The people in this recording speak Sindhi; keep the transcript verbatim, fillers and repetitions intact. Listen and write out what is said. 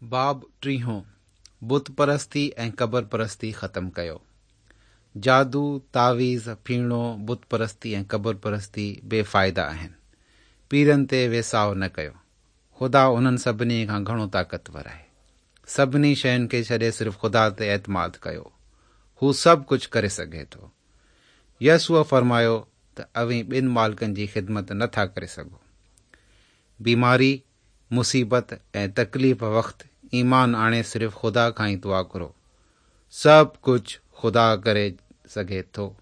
باب ٽيهون، بت پرستي ۽ قبر پرستي ختم ڪيو. جادو، تعويذ، ڦيڻو، بت پرستي ۽ قبر پرستي بي فائدا آهن. پيرن تي ويساهه نه ڪيو. خدا انهن سڀني کان گهڻو طاقتور آهي. سڀني شين کي ڇڏي صرف خدا تي اعتماد ڪيو. هو سڀ ڪجهه ڪري سگهي ٿو. يسوع فرمايو ته اوهين ٻن مالڪن جي خدمت نه ٿا ڪري سگهو. بيماري، مصيبت ۽ تڪليف وقت ايمان آڻي صرف خدا کان ئي دعا گهرو. سڀ ڪجهه خدا ڪري سگهي ٿو.